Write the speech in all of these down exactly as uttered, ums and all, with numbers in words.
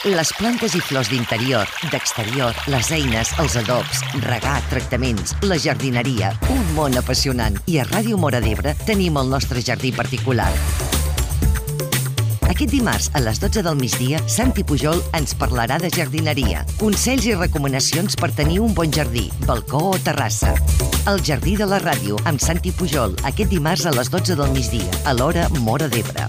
Les plantes i flors d'interior, d'exterior, les eines, els adobs, regar, tractaments, la jardineria, un món apassionant. I a Ràdio Móra d'Ebre tenim el nostre jardí particular. Aquest dimarts, a les dotze del migdia, Santi Pujol ens parlarà de jardineria, consells i recomanacions per tenir un bon jardí, balcó o terrassa. El Jardí de la Ràdio, amb Santi Pujol, aquest dimarts a les dotze del migdia, a l'hora Móra d'Ebre.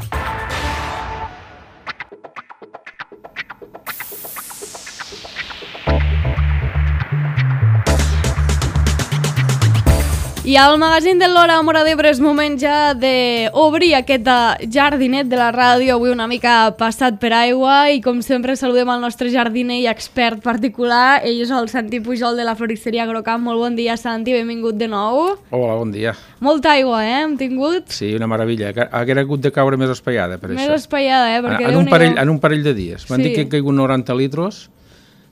I al magazín de l'Hora Móra d'Ebre és moment ja d'obrir aquest jardinet de la ràdio, avui una mica passat per aigua, i com sempre saludem el nostre jardiner i expert particular. Ell és el Santi Pujol de la floristeria Agrocamp. Molt bon dia, Santi, benvingut de nou. Hola, bon dia. Molta aigua, eh, hem tingut? Sí, una meravella. Hauria hagut de caure més espaiada, per més això. Més espaiada, eh? Perquè en, un parell, en un parell de dies. M'han sí. dit que han caigut noranta litros.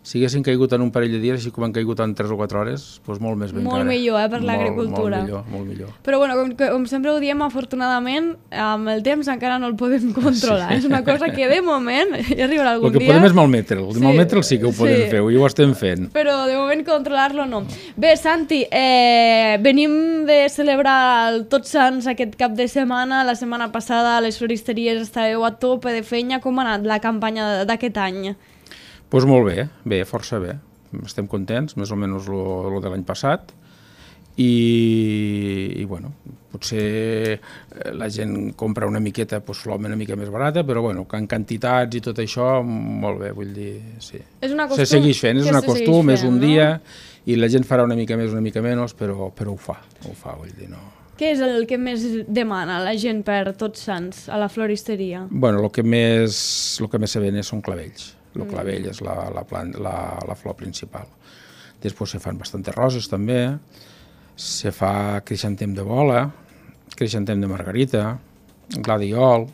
Si haguessin caigut en un parell de dies, així com han caigut en tres o quatre hores, doncs molt més ben Molt cara. millor, eh, per l'agricultura. Molt millor, molt millor. Però bueno, com, com sempre ho diem, afortunadament, amb el temps encara no el podem controlar. Sí. És una cosa que de moment, ja arribarà algun dia... El que podem és malmetre'l. Sí. Malmetre'l sí que ho podem sí. fer, i ho estem fent. Però de moment controlar-lo no. Bé, Santi, eh, venim de celebrar el Tots Sants aquest cap de setmana. La setmana passada a les floristeries estàveu a tope de feina. Com ha anat la campanya d'aquest any? Doncs pues molt bé, bé, força bé. Estem contents, més o menys el de l'any passat. I, i bueno, potser la gent compra una miqueta, doncs l'home una mica més barata, però bueno, en quantitats i tot això, molt bé, vull dir, sí. És una costum, se segueix fent, és una costum, és un dia, no? I la gent farà una mica més, una mica menys, però, però ho fa, ho fa, vull dir, no... Què és el que més demana la gent per Tots Sants a la floristeria? Bueno, el que més, el que més se ven són clavells. El clavell és la, la, plant, la, la flor principal. Després se fan bastantes roses també, se fa creixantem de bola, creixantem de margarita, gladiol,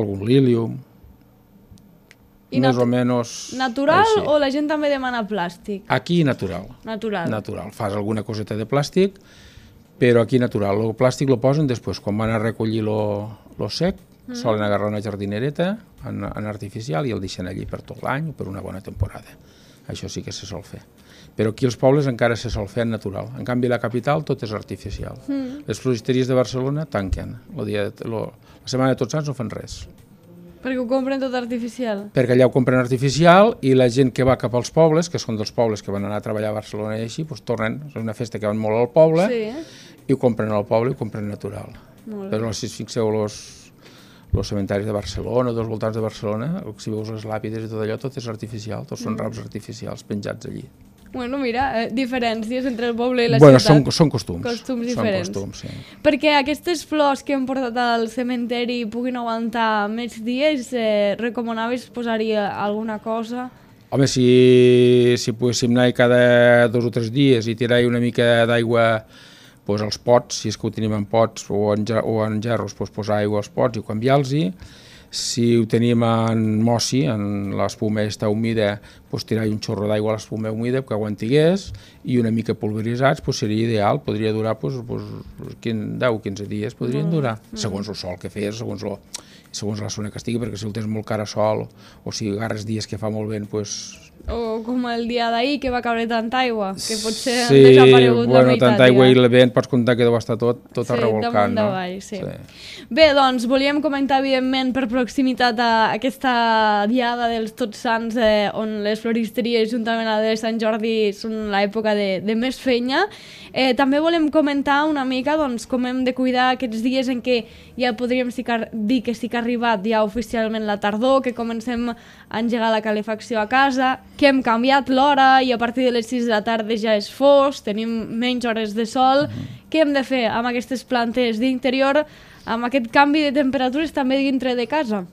algun lílium, I més o menys... Natural així. O la gent també demana plàstic? Aquí natural. Natural. Natural. Fas alguna coseta de plàstic, però aquí natural. El plàstic lo posen després, quan van a recollir lo, lo sec, Mm. solen agarrar una jardinereta en, en artificial i el deixen allí per tot l'any o per una bona temporada. Això sí que se sol fer. Però aquí als pobles encara se sol fer en natural. En canvi, la capital tot és artificial. Mm. Les floristeries de Barcelona tanquen. Lo dia, lo, la setmana de Tots Sants no fan res. Perquè ho compren tot artificial? Perquè allà ho compren artificial i la gent que va cap als pobles, que són dels pobles que van anar a treballar a Barcelona i així, doncs tornen, és una festa que van molt al poble, sí. I ho compren al poble i ho compren natural. Però si fixeu los els cementaris de Barcelona o dels voltants de Barcelona, si veus les làpides i tot allò, tot és artificial, tots són raps artificials penjats allí. Bueno, mira, eh, diferències entre el poble i la bueno, ciutat. Bueno, són, són costums. Costums diferents. Són costums, sí. Perquè aquestes flors que hem portat al cementeri puguin aguantar més dies, eh, recomanaves posar-hi alguna cosa? Home, si, si poguéssim anar cada dos o tres dies i tirar-hi una mica d'aigua pues als pots, si és que ho tenim en pots o en, o en gerros, pues posar aigua als pots i canviar-los-hi. Si ho tenim en mossi, en l'espuma està humida, pues tirar-hi un xorro d'aigua a l'espuma humida que aguantigués i una mica pulveritzats, pues seria ideal, podria durar pues, pues, deu o quinze dies, podrien durar, mm. segons el sol que fes, segons, lo, segons la zona que estigui, perquè si el tens molt cara sol o si agarres dies que fa molt vent, pues, o com el dia d'ahir que va caure tanta aigua, que potser sí, ha desaparegut bueno, la meitat. Tanta aigua ja. I el vent pots comptar que deu estar tot, tot sí, arrevolcant. No? Davall, sí. Sí. Bé, doncs volíem comentar evidentment per proximitat a aquesta diada dels Tots Sants eh, on les floristeries juntament a la de Sant Jordi són l'època de, de més feina. Eh, també volem comentar una mica doncs, com hem de cuidar aquests dies en què ja podríem dir que sí que ha arribat ja oficialment la tardor, que comencem a engegar la calefacció a casa, que hem canviat l'hora i a partir de les sis de la tarda ja és fosc, tenim menys hores de sol. Mm-hmm. Què hem de fer amb aquestes plantes d'interior, amb aquest canvi de temperatures també dintre de casa?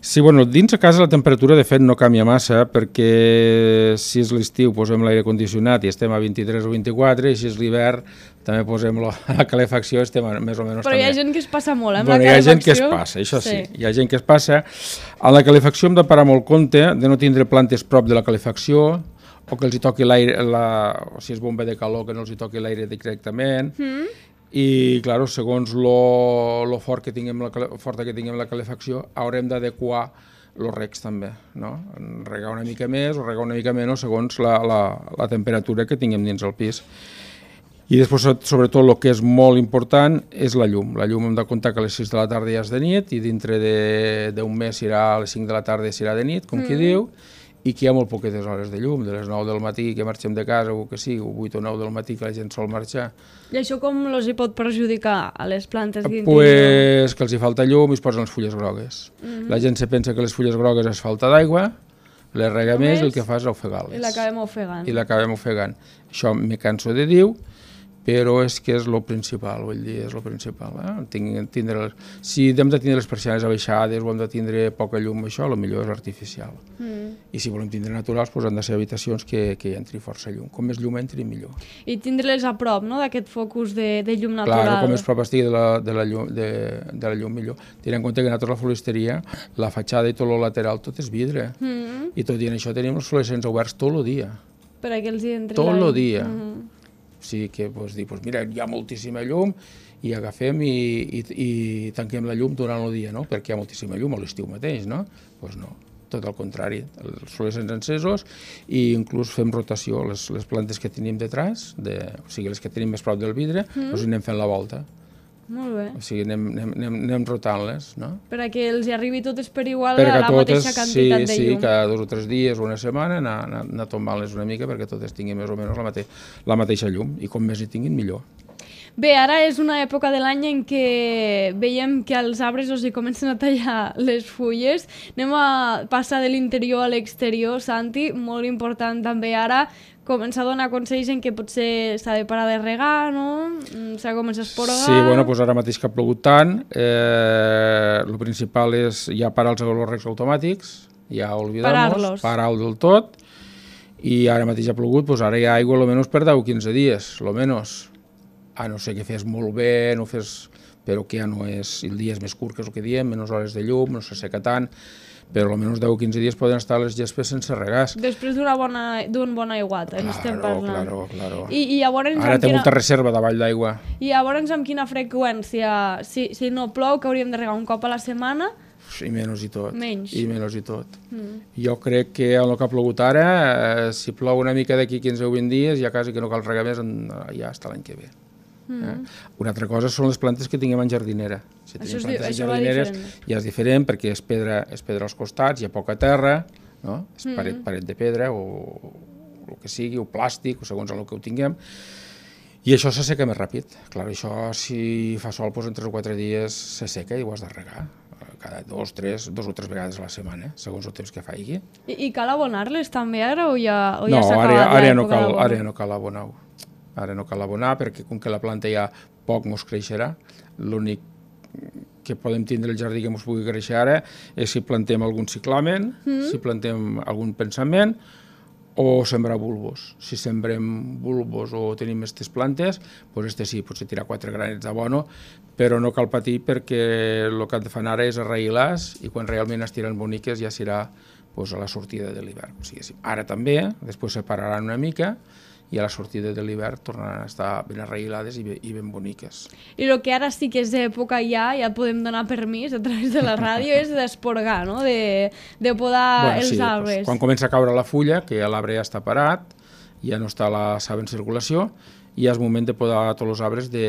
Sí, bueno, dins a casa la temperatura de fet no canvia massa perquè si és l'estiu posem l'aire condicionat i estem a vint-i-tres o vint-i-quatre i si és l'hivern també posem la, la calefacció i estem a, més o menys Però també. hi ha gent que es passa molt, eh, amb bueno, la calefacció. Hi ha gent que es passa, això sí. sí, hi ha gent que es passa. A la calefacció hem de parar molt compte de no tindre plantes prop de la calefacció o que els hi toqui l'aire, la, o si és bomba de calor que no els hi toqui l'aire directament. Mm. I, clar, segons lo, lo fort que tinguem la, forta que tinguem la calefacció, haurem d'adequar els regs també, no? Regar una mica més o regar una mica menys segons la, la, la temperatura que tinguem dins el pis. I després, sobretot, el que és molt important és la llum. La llum hem de comptar que a les sis de la tarda ja és de nit i dintre d'un mes serà a les cinc de la tarda serà de nit, com mm. qui diu, i que hi ha molt poquetes hores de llum, de les nou del matí que marxem de casa o que sigui, o vuit o nou del matí que la gent sol marxar. I això com els hi pot perjudicar a les plantes? Pues que els hi falta llum i es posen les fulles grogues. Mm-hmm. La gent se pensa que les fulles grogues és falta d'aigua, les rega més i el que fa és ofegar-les. I l'acabem ofegant. I l'acabem ofegant. Això me canso de dir, però és que és el principal, vull dir, és el principal. Eh? Tindre, si hem de tindre les persianes abaixades o hem de tindre poca llum, això, el millor és artificial. Mm. I si volem tindre naturals, doncs han de ser habitacions que, que entri força llum. Com més llum entri, millor. I tindre-les a prop, no?, d'aquest focus de, de llum natural. Clar, com més prop estigui de la, de, la llum, de, de la llum, millor. Tenint en compte que nosaltres la floristeria, la fatxada i tot el lateral, tot és vidre. Mm. I tot i en això tenim els fluorescents oberts tot el dia. Per a que els hi entri tot la... el dia. Mm. O sigui que, doncs, dir, doncs, mira, hi ha moltíssima llum i agafem i, i, i tanquem la llum durant el dia, no? Perquè hi ha moltíssima llum a l'estiu mateix, no? Doncs no, tot al contrari, els fluorescents encesos i inclús fem rotació, les, les plantes que tenim detrás, de, o sigui, les que tenim més prop del vidre, mm. doncs anem fent la volta. Molt bé. O sigui, anem, anem, anem, anem rotant-les, no? Per a que els arribi totes per igual per a la totes, mateixa quantitat sí, de llum. Sí, cada dos o tres dies o una setmana anar, anar, anar tombant-les una mica perquè totes tinguin més o menys la, mate la mateixa llum i com més hi tinguin millor. Bé, ara és una època de l'any en què veiem que els arbres els hi comencen a tallar les fulles. Anem a passar de l'interior a l'exterior, Santi, molt important també ara començar a donar consells en què potser s'ha de parar de regar, no? S'ha de començar a esporgar... Sí, bueno, doncs ara mateix que ha plogut tant, eh, el principal és ja parar els regs automàtics, ja oblidar-los, parar-ho del tot, i ara mateix ha plogut, doncs ara hi ha aigua almenys per deu o quinze dies, almenys. A no ser que fes molt bé, no fes... però que ja no és... El dia és més curt, que és el que diem, menys hores de llum, no s'asseca tant, però almenys deu o quinze dies poden estar les gespes sense regars. Després d'un bona, bon aiguat, claro, estem parlant. Claro, claro. I, i llavors, ara té quina... molta reserva davall d'aigua. I llavors amb quina freqüència? Si, si no plou, que hauríem de regar un cop a la setmana? I menys i tot. Menys. I menys i tot. Mm. Jo crec que en el que ha plogut ara, eh, si plou una mica d'aquí quinze o vint dies, ja quasi que no cal regar més, en, ja està l'any que ve. Mm. Eh? Una altra cosa són les plantes que tinguem en jardinera. Si tenim això plantes és, en jardineres ja és diferent perquè és pedra, és pedra als costats, hi ha poca terra, no? És mm. paret, paret de pedra o el que sigui, o plàstic, o segons el que ho tinguem. I això s'asseca més ràpid. Clar, això si fa sol doncs en tres o quatre dies s'asseca i ho has de regar. Cada dos, tres, dos o tres vegades a la setmana, segons el temps que faigui. I, i cal abonar-les també ara o ja, o no, ja s'ha acabat l'època no d'abonar? Ara no cal abonar-ho. Ara no cal abonar perquè com que la planta ja poc mos creixerà, l'únic que podem tindre el jardí que mos pugui créixer ara és si plantem algun ciclamen, mm. si plantem algun pensament o sembrar bulbos. Si sembrem bulbos o tenim aquestes plantes, doncs este sí, potser tirar quatre granets d'abono, però no cal patir perquè el que han de fer ara és arraïlar-les i quan realment es tiren boniques ja serà doncs, a la sortida de l'hivern. O sigui, ara també, després se pararan una mica i a la sortida de l'hivern tornaran a estar ben arraïlades i, ben, i ben boniques. I el que ara sí que és època ja, ja podem donar permís a través de la ràdio, és d'esporgar, no? De, de podar bueno, els sí, arbres. Doncs, quan comença a caure la fulla, que ja l'arbre ja està parat, ja no està la saba en circulació, i és moment de podar tots els arbres de,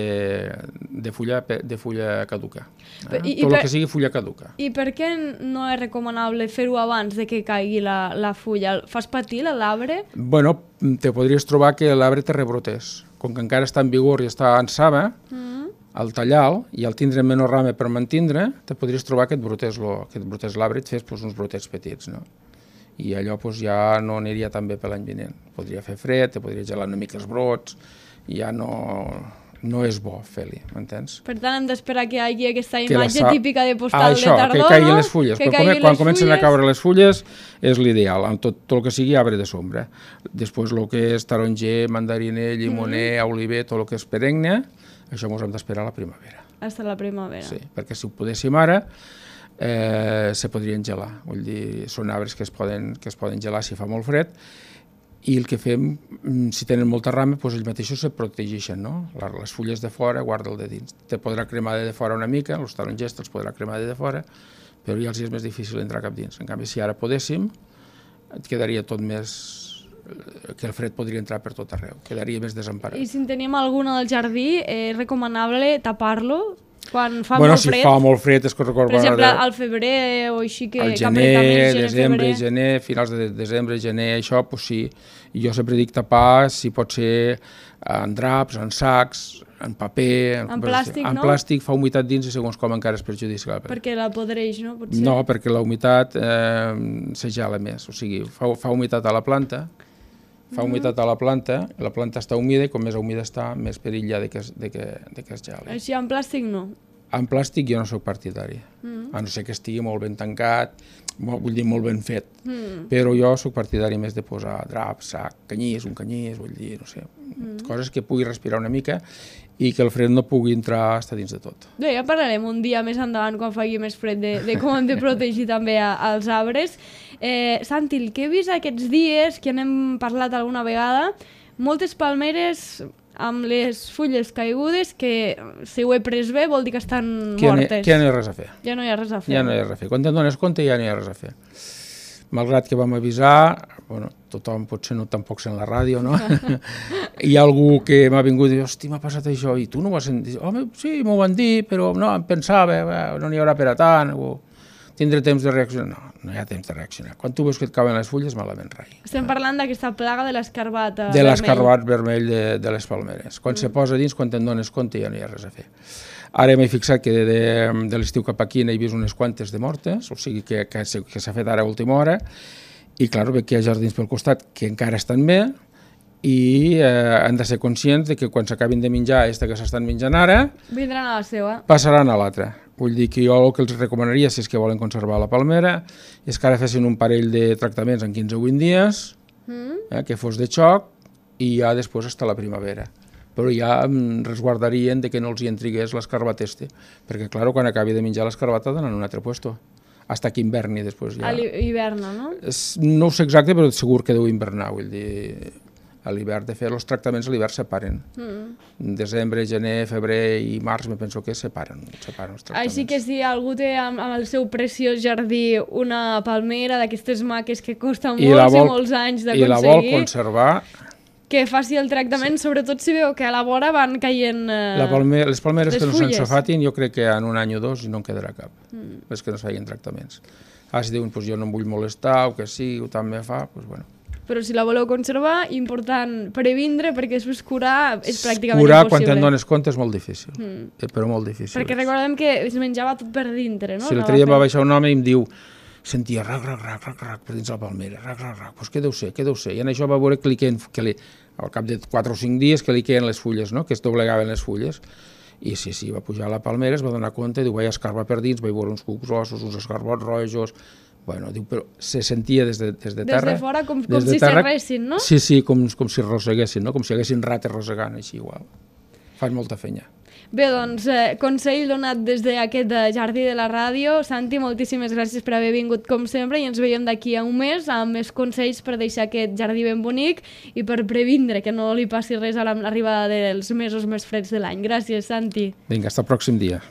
de, fulla, de fulla caduca. Eh? I, Tot i el per, que sigui fulla caduca. I per què no és recomanable fer-ho abans de que caigui la, la fulla? Fas patir l'arbre? Bueno, te podries trobar que l'arbre te rebrotés. Com que encara està en vigor i està en saba, mm. al tallar-lo i al tindre menys rama per mantindre, te podries trobar que et brotés l'arbre i et fes pues, uns brotets petits, no? I allò pues, ja no aniria tan bé per l'any vinent. Podria fer fred, te podria gelar una mica els brots, i ja no, no és bo fer-li, m'entens? Per tant, hem d'esperar que hi hagi aquesta imatge sa... típica de postal ah, això, de tardor, que caiguin les fulles. Que quan les quan comencen fulles... a caure les fulles és l'ideal, amb tot, tot el que sigui arbre de sombra. Després el que és taronger, mandariner, llimoner, mm. oliver, tot el que és perenne, això ens hem d'esperar a la primavera. Hasta la primavera. Sí, perquè si ho podéssim ara, eh, se podrien gelar. Vull dir, són arbres que es poden, que es poden gelar si fa molt fred, i el que fem, si tenen molta rama, doncs ells mateixos se protegeixen, no? Les fulles de fora, guarda'l de dins. Te podrà cremar de fora una mica, els tarongers te'ls podrà cremar de fora, però ja els és més difícil entrar cap dins. En canvi, si ara podéssim, et quedaria tot més... que el fred podria entrar per tot arreu, quedaria més desemparat. I si en tenim algun al jardí, és recomanable tapar-lo quan fa bueno, molt si fred? fa molt fred és que recordo... Per exemple, al febrer o així que... Al gener, desembre, gener, finals de desembre, gener, això, doncs sí. I jo sempre dic tapar, si pot ser en draps, en sacs, en paper... En plàstic, no? En plàstic, fa humitat dins i segons com encara és perjudicial. Perquè la podreix, no? Potser. No, perquè la humitat eh, se gela més, o sigui, fa, fa humitat a la planta, fa humitat a la planta, la planta està humida i com més humida està, més perill hi ha de que es, de que, de que es geli. Així en plàstic no? En plàstic jo no sóc partidari, mm. a no ser que estigui molt ben tancat, molt, vull dir molt ben fet, mm. però jo sóc partidari més de posar drap, sac, canyís, un canyís, vull dir, no sé, mm. coses que pugui respirar una mica i que el fred no pugui entrar a estar dins de tot. Bé, ja parlarem un dia més endavant quan faci més fred de, de com hem de protegir també a, als arbres. Eh, Santi, el que he vist aquests dies, que n'hem parlat alguna vegada, moltes palmeres amb les fulles caigudes que, si ho he pres bé, vol dir que estan que mortes. Que ja no hi ha res a fer. Ja no hi ha res a fer. Ja no hi ha res a fer. Quan te'n dones compte ja no hi ha res a fer. Malgrat que vam avisar, bueno, tothom potser no tampoc sent la ràdio, no? Hi ha algú que m'ha vingut i diu, hosti, m'ha passat això, i tu no ho has sentit? Home, sí, m'ho van dir, però no, em pensava, no n'hi haurà per a tant, o tindré temps de reaccionar. No, no hi ha temps de reaccionar. Quan tu veus que et cauen les fulles, malament rai. Estem parlant d'aquesta plaga de l'escarbat vermell. De l'escarbat vermell de, de les palmeres. Quan mm. se posa dins, quan te'n dones compte, ja no hi ha res a fer. Ara m'he fixat que de, de, de l'estiu cap aquí n'he vist unes quantes de mortes, o sigui que, que, que s'ha fet ara a última hora, i clar, veig que hi ha jardins pel costat que encara estan bé, i eh, han de ser conscients de que quan s'acabin de menjar aquesta que s'estan menjant ara, vindran a la seva. Passaran a l'altra. Vull dir que jo el que els recomanaria, si és que volen conservar la palmera, és que ara fessin un parell de tractaments en quinze o vint dies, mm. eh, que fos de xoc, i ja després està la primavera. Però ja resguardarien de que no els hi entrigués l'escarbat este, perquè, clar, quan acabi de menjar l'escarbat ha d'anar en un altre lloc, hasta que inverni després ja. A l'hiverna, no? No ho sé exacte, però segur que deu invernar, vull dir, a l'hivern. De fet, els tractaments a l'hivern separen. Mm. Desembre, gener, febrer i març, me penso que separen, separen els tractaments. Així que si algú té amb, amb el seu preciós jardí una palmera d'aquestes maques que costa molts i, vol, i molts anys d'aconseguir... I la vol conservar... Que faci el tractament, sí. Sobretot si veu que a la vora van caient eh, la palme les palmeres les que no s'ensofatin, jo crec que en un any o dos no en quedarà cap, mm. les que no es feien tractaments. Ah, si diuen, pues jo no em vull molestar, o que sí, o tant me fa, pues bueno. Però si la voleu conservar, important previndre, perquè després curar és pràcticament curar, impossible. Curar, quan te'n dones compte, és molt difícil, mm. però molt difícil. Perquè recordem que es menjava tot per dintre, no? Si l'altre dia va baixar un home i em diu, sentia rac, rac, rac, rac, rac, per dins la palmera, rac, rac, rac, doncs què deu ser, què deu ser? I en això va veure que li queien, que li, al cap de quatre o cinc dies, que li queien les fulles, no? Que es doblegaven les fulles. I sí, sí, va pujar a la palmera, es va donar compte, diu, vaig escarbar per dins, vaig veure uns cucs ossos, uns escarbots rojos, bueno, diu, però se sentia des de, des de terra... Des de fora, com, com de si s'arressin, no? Sí, sí, com, com si roseguessin, no? Com si haguessin rates rosegant, així, igual. Fan molta fenya. Bé, doncs, eh, consell donat des d'aquest jardí de la ràdio. Santi, moltíssimes gràcies per haver vingut com sempre i ens veiem d'aquí a un mes amb més consells per deixar aquest jardí ben bonic i per previndre que no li passi res a l'arribada dels mesos més freds de l'any. Gràcies, Santi. Vinga, fins el pròxim dia.